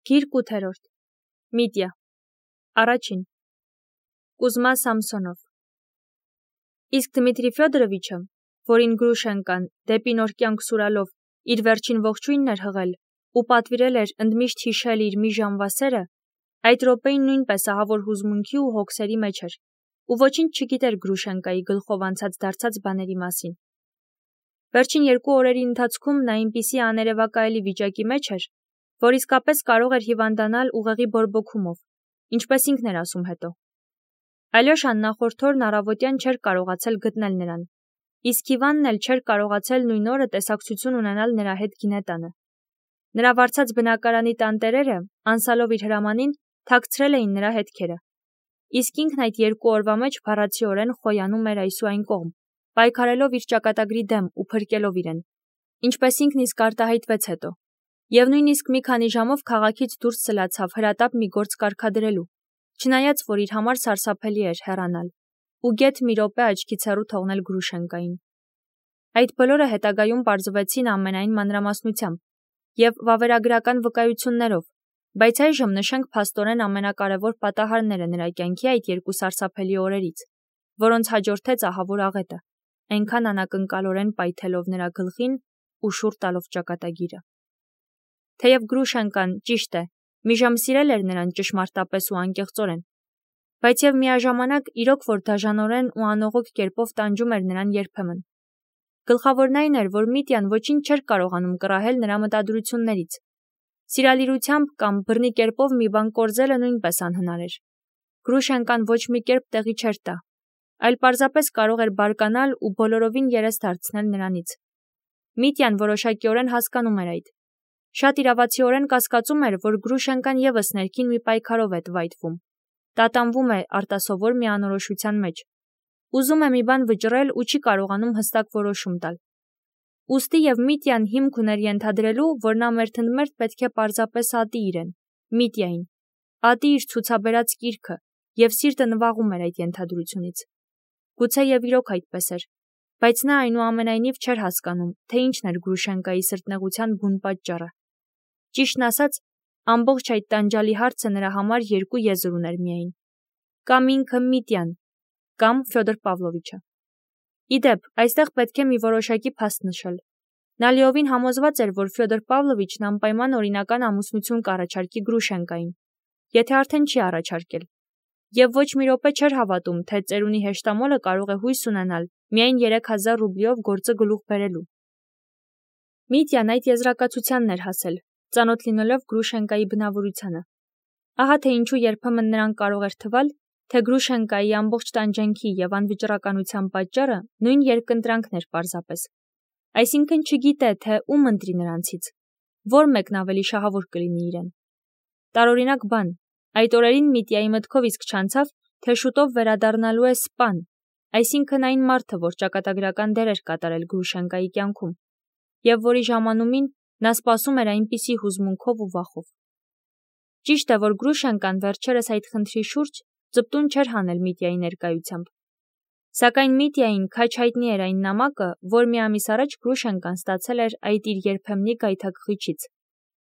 Գիրք 8-րդ Միտիա Առաջին Կուզմա Սամսոնով Իսկ Դմիտրի Ֆյոդորովիչը, որին Գրուշենկան դեպի նոր կյանք սուրալով իր վերջին ողջույնն էր հղել ու պատվիրել էր ընդմիշտ հիշել իր մի ժամվա սերը, այդ րոպեին նույնպես ահավոր հուզմունքի ու հոգսերի մեջ էր ու ոչինչ չգիտեր Գրուշենկայի գլխով անցած դարձած բաների մասին։ Վերջին 2 օրերի ընթացքում նա այնպիսի աներևակայելի վիճակի մեջ էր, որ իսկապես կարող էր հիվանդանալ ուղեղի բորբոքումով, ինչպես ինքն էր ասում հետո։ Ալյոշան նախորդ օրն առավոտյան չէր կարողացել գտնել նրան, իսկ Իվանն էլ չէր կարողացել նույն օրը տեսակցություն ունենալ նրա հետ գինետանը։ Նրա վարձած բնակարանի տանտերերը, անցալով իր հրամանին, թաքցրել էին նրա հետքերը։ Իսկ ինքն այդ 2 օրվա մեջ փառացիորեն խոյանում էր այս ու այն կողմ, պայքարելով իր ճակատագրի դեմ ու փրկելով իրեն, ինչպես ինքն իսկ արտահայտվեց հետո, եւ նույնիսկ մի քանի ժամով քաղաքից դուրս սլացավ հրատապ մի գործ կարգադրելու, չնայած որ իր համար սարսափելի էր հեռանալ ու գեթ մի րոպե աչքից հեռու թողնել Գրուշենկային։ Այդ բոլորը հետագայում պարզվեցին ամենայն մանրամասնությամբ եւ վավերագրական վկայություններով, բայց այժմ նշենք փաստորեն ամենակարևոր պատահարները նրա կյանքի այդ 2 սարսափելի օրերից, որոնց հաջորդեց ահավոր աղետը, այնքան անակնկալորեն պայթելով նրա գլխին ու շուռ տալով ճակատագիրը։ Թեև Գրուշենկան, ճիշտ է, մի ժամ սիրել էր նրան ճշմարտապես ու անկեղծորեն, բայց եւ միաժամանակ իրոք որ դաժանորեն ու անողոք կերպով տանջում էր նրան երբեմն։ Գլխավորն այն էր, որ Միտյան ոչինչ չէր կարողանում կռահել նրա մտադրություններից։ Սիրալիրությամբ կամ բռնի կերպով մի բան կորզելը նույնպես անհնար էր։ Գրուշենկան ոչ մի կերպ տեղի չէր տա, այլ պարզապես կարող էր բարկանալ ու բոլորովին երես դարձնել նրանից։ Միտյան որոշակիորեն հասկանում էր այդ։ Շատ իրավացիորեն կասկածում էր, որ Գրուշենկան եւս ներքին մի պայքարով է տվայտվում, տատանվում է արտասովոր մի անորոշության մեջ, ուզում է մի բան վճռել ու չի կարողանում հստակ որոշում տալ։ Ուստի եւ Միտյան հիմք ուներ ենթադրելու, որ նա մերթընդմերթ պետք է պարզապես ատի իրեն, Միտյային, ատի իր ցուցաբերած կիրքը, եւ սիրտը նվաղում էր այդ ենթադրությունից։ Գուցե եւ իրոք այդպես էր, բայց նա այնուամենայնիվ չէր հասկանում, թե ինչն էր Գրուշենկայի սրտնեղության բուն պատճառը։ Ճիշտն ասած, ամբողջ այդ տանջալի հարցը նրա համար 2 եզր ուներ միայն. կամ ինքը Միտյան, կամ Ֆյոդոր Պավլովիչը։ Իդեպ, այստեղ պետք է մի որոշակի փաստ նշել։ Նա լիովին համոզված էր, որ Ֆյոդոր Պավլովիչն անպայման օրինական ամուսնություն կառաջարկի Գրուշենկային, եթե արդեն չի առաջարկել, եւ ոչ մի րոպե չէր հավատում, թե ծերունի հեշտամոլը կարող է հույս ունենալ միայն 3000 ռուբլիով գործը գլուխ բերելու։ Միտյան այդ եզրակացությանն էր հասել, ծանոթ լինելով Գրուշենկայի բնավորությանը։ Ահա թե ինչու երբեմն նրան կարող էր թվալ, թե Գրուշենկայի ամբողջ տանջանքի եւ անվճռականության պատճառը նույն երկընտրանքն էր պարզապես։ Այսինքն չգիտե, թե ում ընտրի նրանցից, որ մեկն ավելի շահավոր կլինի իրեն։ Տարօրինակ բան, այդ օրերին Միտիայի մտքով իսկ չանցավ, թե շուտով վերադառնալու է սպան, այսինքն այն մարդը, որ ճակատագրական դեր էր կատարել Գրուշենկայի կյանքում, եւ որի ժամանումին նա սպասում էր այնպիսի հուզմունքով ու վախով։ Ճիշտ է, որ Գրուշենկան վերջերս այդ խնդրի շուրջ ծպտուն չէր հանել Միտիայի ներկայությամբ։ Սակայն Միտիային քաչ հայտնի էր այն նամակը, որ մի ամիս առաջ Գրուշենկան ստացել էր այդ իր երբեմնի գայթակղիչից։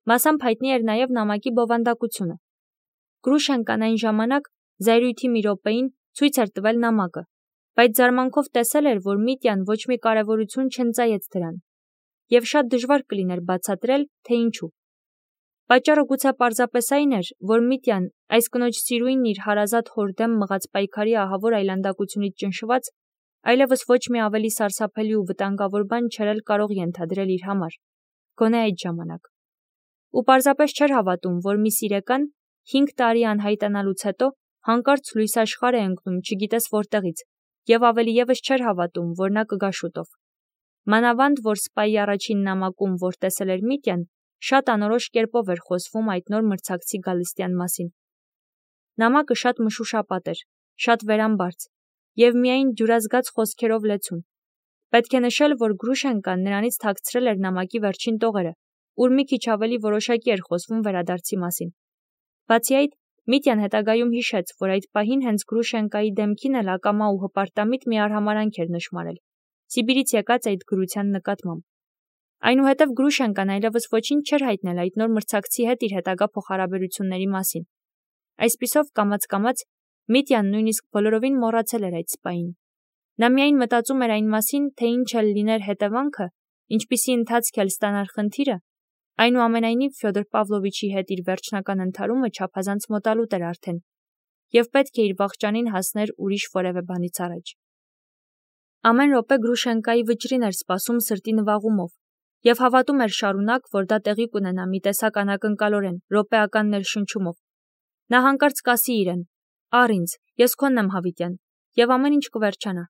Մասամբ հայտնի էր նաև նամակի բովանդակությունը։ Գրուշենկան այն ժամանակ զայրույթի մի րոպեին ցույց էր տվել նամակը, բայց զարմանքով տեսել էր, որ Միտյան ոչ մի կարևորություն չընծայեց դրան, եւ շատ դժվար կլիներ բացատրել, թե ինչու։ Պատճառը գուցե պարզապես այն էր, որ Միտյան այս կնոջ սիրույնն իր հարազատ հոր դեմ մղած պայքարի ահավոր այլանդակությունից ճնշված, այլևս ոչ մի ավելի սարսափելի ու վտանգավոր բան չէր էլ կարող ենթադրել իր համար, գոնե այդ ժամանակ։ Ու պարզապես չէր հավատում, որ մի սիրեկան 5 տարի անհայտանալուց հետո հանկարծ լույս աշխարհ է ընկնում չգիտես որտեղից, եւ ավելի եւս չէր հավատում, որ նա կգա շուտով։ Մանավանդ, որ սպայի առաջին նամակում, որ տեսել էր Միտյան, շատ անորոշ կերպով էր խոսվում այդ նոր մրցակցի գալստյան մասին։ Նամակը շատ մշուշապատ էր, շատ վերամբարձ եւ միայն ջուրազգաց խոսքերով լեցուն։ Պետք է նշել, որ Գրուշենկան նրանից թաքցրել էր նամակի վերջին տողերը, ուր մի քիչ ավելի որոշակի էր խոսվում վերադարձի մասին։ Բացի այդ, Միտյան հետագայում հիշեց, որ այդ պահին հենց Գրուշենկայի դեմքին էլ ակամա ու հպարտամիտ մի արհամարանք էր նշմարել, Սիբիրից եկած այդ գրության նկատմամբ։ Այնուհետև Գրուշենկան այլևս ոչինչ չէր հայտնել այդ նոր մրցակցի հետ իր հետագա փոխհարաբերությունների մասին։ Այսպիսով կամաց-կամաց Միտյան նույնիսկ բոլորովին մոռացել էր այդ սպային։ Նա միայն մտածում էր այն մասին, թե ինչ էլ լիներ հետևանքը, ինչպիսի ընթացք էլ ստանար խնդիրը, այնուամենայնիվ Ֆյոդոր Պավլովիչի հետ իր վերջնական ընդհարումը չափազանց մոտալուտ էր արդեն, և պետք է իր վախճանին հասներ ուրիշ որևէ բանից առաջ։ Ամեն րոպե Գրուշենկայի վճռին էր սպասում սրտի նվաղումով, և հավատում էր շարունակ, որ դա տեղի կունենա մի տեսակ անակնկալորեն, րոպեական ներշնչումով։ Նա հանկարծ կասի իրեն. «Առ ինձ, ես քոնն եմ Հավիտյան», և ամեն ինչ կվերջանա։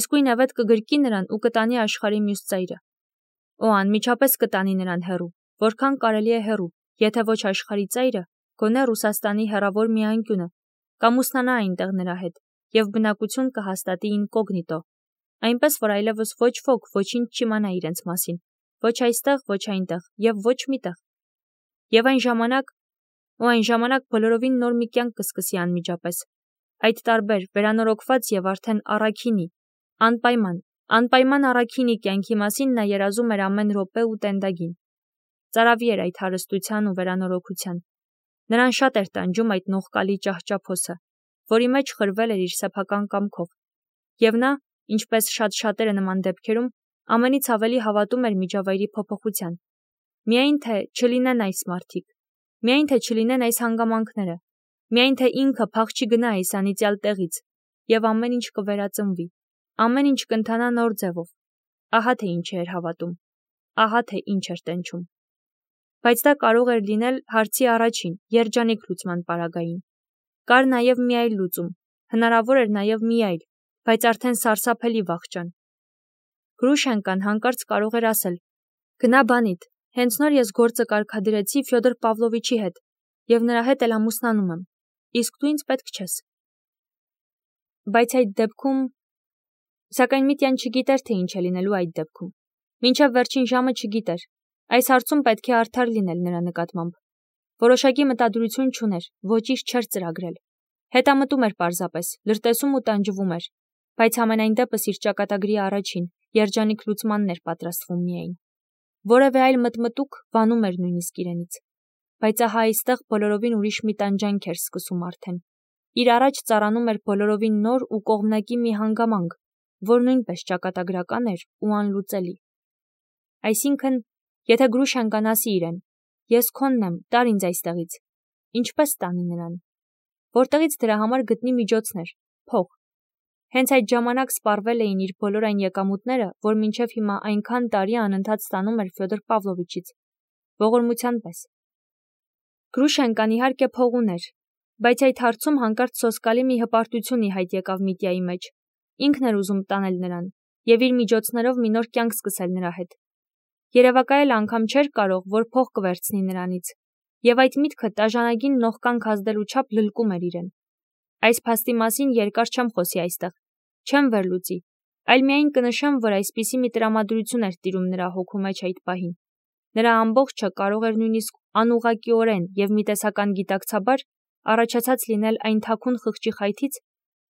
Իսկույն Էվետ կգրկի նրան ու կտանի աշխարհի մյուս ծայրը։ Օ, անմիջապես կտանի նրան հեռու, որքան կարելի է հեռու, եթե ոչ աշխարհի ծայրը, գոնե Ռուսաստանի հեռավոր մի անկյունը, կամուսնանա այնտեղ նրա հետ, և բնակություն կհաստատի ինկոգնիտո, այնպես որ այլևս ոչ ոք ոչինչ չիմանա իրենց մասին, ոչ այստեղ, ոչ այնտեղ, և ոչ միտեղ։ Եվ այն ժամանակ բոլորովին նոր մի կյանք կսկսի անմիջապես, այդ տարբեր, վերանորոգված և արդեն առաքինի, անպայման առաքինի կյանքի մասին նա երազում էր ամեն րոպե ու տենդագին։ Ծարավի էր այդ հարստության ու վերանորոգության։ Նրան շատ էր տանջում այդ նողկալի ճահճափոսը, որի մեջ խրվել էր իր սեփական կամքով, և նա, ինչպես շատ շատերը նման դեպքերում, ամենից ավելի հավատում էր միջավայրի փոփոխության։ Միայն թե չլինեն այս մարդիկ, միայն թե չլինեն այս հանգամանքները, միայն թե ինքը փախ չգնա այս անիծյալ տեղից, և ամեն ինչ կվերածնվի, ամեն ինչ կընթանա նոր ձևով։ Ահա թե ինչ էր հավատում, ահա թե ինչ էր տենչում։ Բայց դա կարող էր լինել հարցի առաջին, երջանիկ լուծման պարագային։ Կար նաև մի այլ լուծում, հնարավոր էր նաև մի այլ, բայց արդեն սարսափելի վախճան։ Գրուշենկան հանկարծ կարող էր ասել. «Գնա բանիդ, հենց նոր ես գործը կարգադրեցի Ֆյոդոր Պավլովիչի հետ, և նրա հետ էլ ամուսնանում եմ, իսկ դու ինձ պետք չես»։ Բայց այդ դեպքում… Սակայն Միտյան չգիտեր, թե ինչ է լինելու այդ դեպքում։ Մինչև վերջին ժամը չգիտեր։ Այս հարցում պետք է արդար լինել նրա նկատմամբ։ Որոշակի մտադրություն չուներ, ոչինչ չէր ծրագրել։ Հետամտում էր պարզապես, լրտեսում ու տանջվում էր, բայց համենայն դեպս իր ճակատագրի առաջին, երջանիկ լուծմանն էր պատրաստվում միայն։ Որևէ այլ մտմտուք վանում էր նույնիսկ իրենից։ Բայց ահա այստեղ բոլորովին ուրիշ մի տանջանք էր սկսում արդեն։ Իր առաջ ծառանում էր բոլորովին նոր ու կողմնակի մի հանգամանք, որ նույնպես ճակատագրական էր ու անլուծելի։ Այսինքն, եթե Գրուշենկան ասի իրեն. «Ես քոնն եմ, տար ինձ այստեղից», ինչպես տանի նրան։ Որտեղից դրա համար գտնի միջոցներ, փող։ Հենց այդ ժամանակ սպառվել էին իր բոլոր այն եկամուտները, որ մինչև հիմա այնքան տարի անընդհատ ստանում էր Ֆյոդոր Պավլովիչից, ողորմության պես։ Գրուշենկան իհարկե փող ուներ, բայց այդ հարցում հանկարծ սոսկալի մի հպարտություն ի հայտ եկավ Միտյայի մեջ։ Ինքն էր ուզում տանել նրան և իր միջոցներով մի նոր կյանք սկսել նրա հետ։ Երևակայել անգամ չէր կարող, որ փող կվերցնի նրանից, և այդ միտքը տաժանագին նողկանք ազդելու չափ լլկում էր իրեն։ Այս փաստի մասին երկար չեմ խոսի այստեղ, չեմ վերլուծի, այլ միայն կնշեմ, որ այսպիսի մի տրամադրություն էր տիրում նրա հոգու մեջ այդ պահին։ Նրա ամբողջը կարող էր նույնիսկ անուղղակիորեն և մի տեսական գիտակցաբար առաջացած լինել այն թաքուն խղճի խայթից,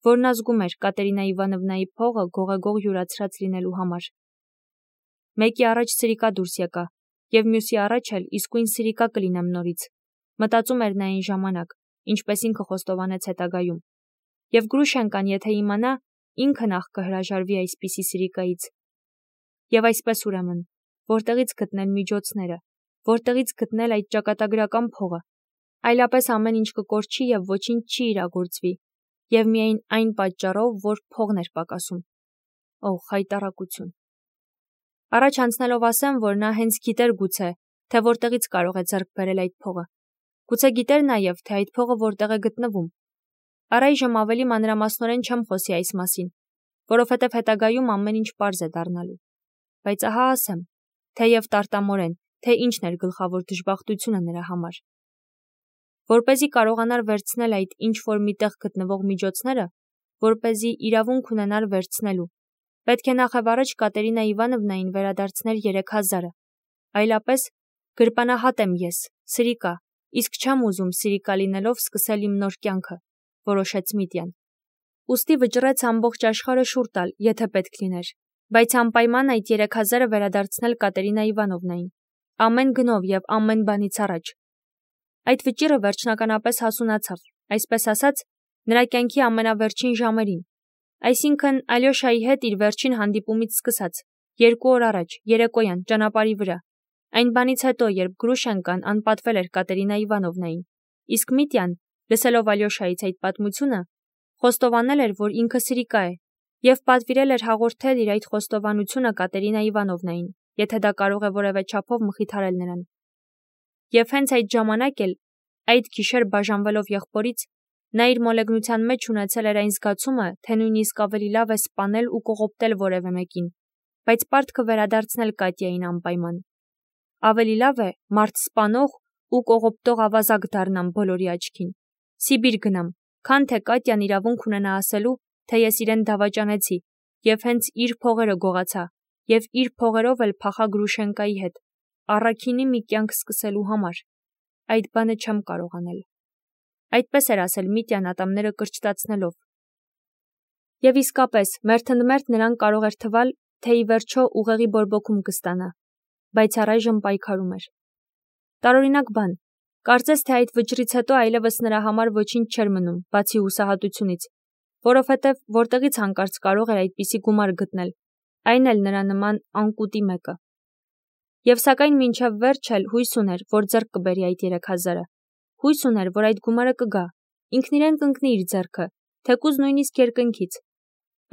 որն ազգում էր Կատերինա Իվանովնայի փողը գողեգող յուրացրած լինելու համար։ Մեկի առաջ սրիկա դուրս եկա, և մյուսի առաջ էլ իսկույն սրիկա կլինեմ նորից, մտածում էր նա այն ժամանակ, ինչպես ինքը խոստովանեց հետագայում։ Եվ Գրուշենկան, եթե իմանա, ինքը նախ կհրաժարվի այսպիսի սրիկայից։ Եվ այսպես ուրեմն, որտեղից գտնել միջոցները, որտեղից գտնել այդ ճակատագրական փողը, այլապես ամեն ինչ կկորչի և ոչինչ չի իրագործվի, և միայն այն պատճառով, որ փողն էր պակասում։ Օ, խայտառակություն։ Առաջ անցնելով ասեմ, որ նա հենց գիտեր գուցե, թե որտեղից կարող է ձեռք բերել այդ փողը։ Գուցե գիտեր նաև, թե այդ փողը որտեղ է գտնվում։ Առայժմ ավելի մանրամասնորեն չեմ խոսի այս մասին, որովհետև հետագայում ամեն ինչ պարզ է դառնալու։ Բայց ահա ասեմ, թեև տարտամորեն, թե ինչն էր գլխավոր դժբախտությունը նրա համար։ Որպեսզի կարողանար վերցնել այդ ինչ-որ միտեղ գտնվող միջոցները, որպեսզի իրավունք ունենար վերցնելու, պետք է նախևառաջ Կատերինա Իվանովնային վերադարձնել 3000-ը, այլապես գրպանահատ եմ ես, սրիկա, իսկ չեմ ուզում սրիկա լինելով սկսել իմ նոր կյանքը, որոշեց Միտյան։ Ուստի վճռեց ամբողջ աշխարհը շուռ տալ, եթե պետք լիներ, Բայց անպայման այդ 3000-ը վերադարձնել Կատերինա Իվանովնային, ամեն գնով եւ ամեն բանից առաջ։ Այդ վճիռը վերջնականապես հասունացավ, այսպես ասած, նրա կյանքի ամենավերջին ժամերին, այսինքն Ալյոշայի հետ իր վերջին հանդիպումից սկսած, 2 օր առաջ, երեկոյան, ճանապարհի վրա, այն բանից հետո, երբ Գրուշենկան անպատվել էր Կատերինա Իվանովնային, իսկ Միտյան, լսելով Ալյոշայից այդ պատմությունը, խոստովանել էր, որ ինքը սրիկա է, եւ պատվիրել էր հաղորդել իր այդ խոստովանությունը Կատերինա Իվանովնային, եթե դա կարող է որևէ չափով մխիթարել նրան։ Եվ հենց այդ ժամանակ էլ, այդ գիշեր բաժանվելով եղբորից, նա իր մոլեգնության մեջ ունեցել էր այն զգացումը, թե նույնիսկ ավելի լավ է սպանել ու կողոպտել որևէ մեկին, բայց պարտքը վերադարձնել Կատյային անպայման։ Ավելի լավ է մարդ սպանող ու կողոպտող ավազակ դառնամ բոլորի աչքին, Սիբիր գնամ, քան թե Կատյան իրավունք ունենա ասելու, թե ես իրեն դավաճանեցի եւ հենց իր փողերը գողացա եւ իր փողերով էլ փախա Գրուշենկայի հետ, առաքինի մի կյանք սկսելու համար։ Այդ բանը չեմ կարող անել։ Այդպես էր ասել Միտյան ատամները կրճտացնելով։ Եվ իսկապես, մերթընդմերթ նրան կարող էր թվալ, թե ի վերջո ուղեղի բորբոքում կստանա, բայց առայժմ պայքարում էր։ Տարօրինակ բան, կարծես թե այդ վճռից հետո այլևս նրա համար ոչինչ չէր մնում, բացի հուսահատությունից, որովհետև որտեղից հանկարծ կարող էր այդպիսի գումար գտնել, այն էլ նրա նման անկուտի մեկը։ Եվ սակայն մինչև վերջ էլ հույս ուներ, որ ձեռք կբերի այդ 3000-ը, հույս ուներ, որ այդ գումարը կգա, ինքն իրեն կընկնի իր ձեռքը, թեկուզ նույնիսկ երկնքից։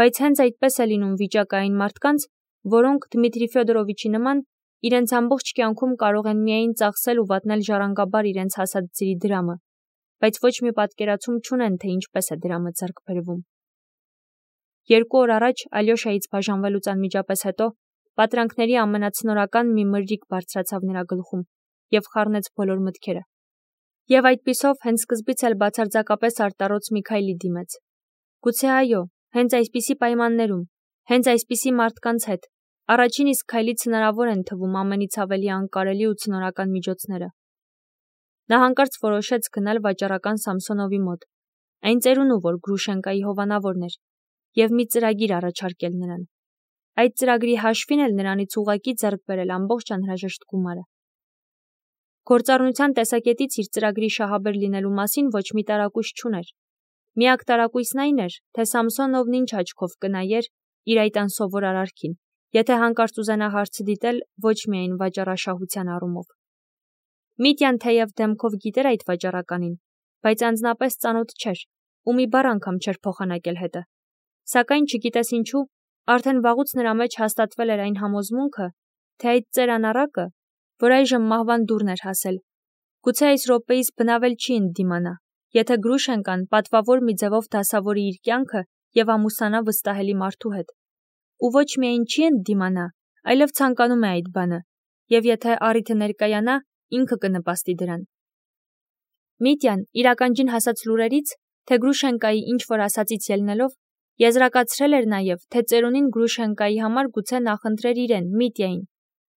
Բայց հենց այդպես է լինում վիճակը այն մարդկանց, որոնք Դմիտրի Ֆյոդորովիչի նման իրենց ամբողջ կյանքում կարող են միայն ծախսել ու վատնել ժառանգաբար իրենց հասած ծրի դրամը, բայց ոչ մի պատկերացում չունեն, թե ինչպես է դրամը ձեռք բերվում։ 2 օր առաջ Ալյոշայից բաժանվելուց անմիջապես հետո պատրանքների ամենացնորական մի մրրիկ բարձրացավ նրա գլխում եւ խառնեց բոլոր մտքերը։ Եվ այդպիսով հենց սկզբից էլ բացարձակապես արտառոց մի քայլի դիմեց։ Գուցե այո, հենց այսպիսի պայմաններում, հենց այսպիսի մարդկանց հետ, առաջին իսկ քայլից հնարավոր են թվում ամենից ավելի անկարելի ու ցնորական միջոցները։ Նա հանկարծ որոշեց գնալ վաճառական Սամսոնովի մոտ, այն ծերունու, որ Գրուշենկայի հովանավորն էր, եւ մի ծրագիր առաջարկել նրան։ Այդ ծրագրի հաշվին էլ նրանից ուղղակի ձեռք բերել ամբողջ անհրաժեշտ գումարը։ Գործառնության տեսակետից իր ծրագրի շահաբեր լինելու մասին ոչ մի տարակույս չուներ։ Միակ տարակույսն այն էր, թե Սամսոնովն ինչ աչքով կնայեր իր այդ անսովոր արարքին, եթե հանկարծ ուզենա հարցը դիտել ոչ միայն վաճառաշահության առումով։ Միտյան թեև դեմքով գիտեր այդ վաճառականին, բայց անձնապես ծանոթ չէր ու մի բառ անգամ չէր փոխանակել հետը։ Սակայն չգիտես ինչու, արդեն վաղուց նրա մեջ հաստատվել էր այն համոզմունքը, թե այդ ծեր անառակը, որ այժմ մահվան դուրն էր հասել, գուցե այս րոպեից բնավել չի ընդդիմանա, եթե Գրուշենկան պատվավոր մի ձևով դասավորի իր կյանքը եւ ամուսանա վստահելի մարդու հետ։ Ու ոչ միայն չի ընդդիմանա, այլև ցանկանում է այդ բանը, եւ եթե առիթը ներկայանա, ինքը կնպաստի դրան։ Միտյան իրականջին հասած լուրերից, թե Գրուշենկայի ինչ որ ասածից ելնելով, եզրակացրել էր նաև, թե ծերունին Գրուշենկայի համար գուցե նախընտրեր իրեն, Միտյային,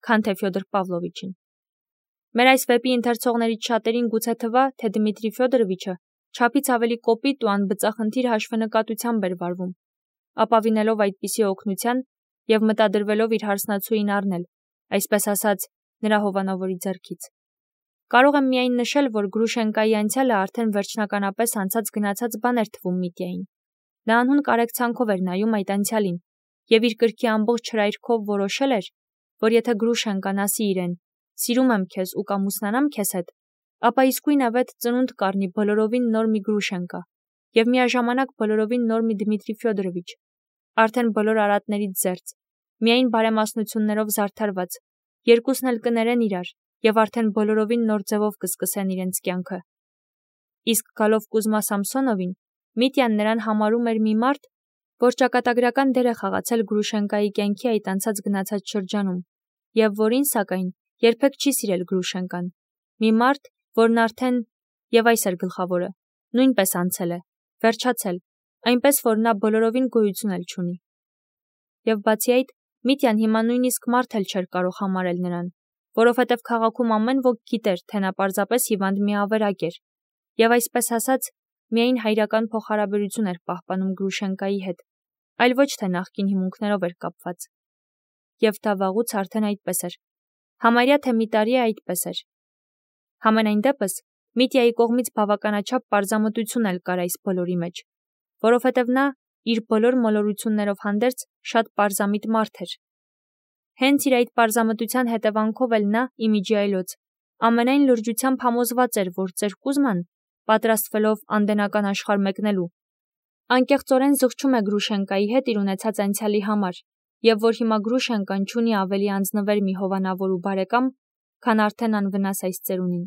քան թե Ֆյոդոր Պավլովիչին։ Մեր այս վեպի ընթերցողներից շատերին գուցե թվա, թե Դմիտրի Ֆյոդորովիչը չափից ավելի կոպիտ ու անբծախնդիր հաշվենկատությամբ էր վարվում, ապավինելով այդպիսի օգնության եւ մտադրվելով իր հարսնացուին առնել, այսպես ասած, նրա հովանավորի ձեռքից։ Կարող եմ միայն նշել, որ Գրուշենկայի անցյալը արդեն վերջնականապես անցած գնացած բան էր թվում Միտյային։ Նա անհուն կարեկցանքով էր նայում այդ անցյալին եւ իր կրքի ամբողջ հրայրքով որոշել էր, որ եթե Գրուշենկան ասի իրեն «Սիրում եմ քեզ ու կամուսնանամ քեզ հետ», ապա իսկույնավետ ծնունդ կառնի բոլորովին նոր մի Գրուշենկա եւ միաժամանակ բոլորովին նոր մի Դմիտրի Ֆյոդորովիչ, արդեն բոլոր արատներից զերծ, միայն բարեմասնություններով զարդարված, երկուսն էլ կներեն իրար եւ արդեն բոլորովին նոր ձևով կսկսեն իրենց կյանքը։ Իսկ գալով Կուզմա Սամսոնովին, Միտյան նրան համարում էր մի մարդ, որ ճակատագրական դեր է խաղացել Գրուշենկայի կյանքի այդ անցած գնացած շրջանում եւ որին սակայն երբեք չի սիրել Գրուշենկան։ Մի մարդ, որն արդեն եւ այս էր գլխավորը, նույնպես անցել է, վերջացել, այնպես որ նա բոլորովին գոյություն էլ չունի։ Եվ բացի այդ, Միտյան հիմա նույնիսկ մարդ էլ չէր կարող համարել նրան, որովհետև քաղաքում ամեն ոք գիտեր, թե նա պարզապես հիվանդ մի ավերակ էր, եւ այսպես ասած, միայն հայրական փոխհարաբերություն էր պահպանում Գրուշենկայի հետ, այլ ոչ թե նախկին հիմունքներով էր կապված։ և դա վաղուց արդեն այդպես էր։ Համարյա թե մի տարի է այդպես էր։ Համենայն դեպս, Միտյայի կողմից բավականաչափ պարզամտություն էլ կար այս բոլորի մեջ, որովհետև նա իր բոլոր մոլորություններով հանդերձ շատ պարզամիտ մարդ էր։ Հենց իր այդ պարզամտության հետևանքով էլ նա, իմիջի այլոց, ամենայն լրջությամբ համոզված էր, որ ծեր Կուզման, պատրաստվելով անդենական աշխարհ մեկնելու, անկեղծորեն զղջում է Գրուշենկայի հետ իր ունեցած անցյալի համար, և որ հիմա Գրուշենկան չունի ավելի անձնվեր մի հովանավոր ու բարեկամ, քան արդեն անվնաս այս ծերունին։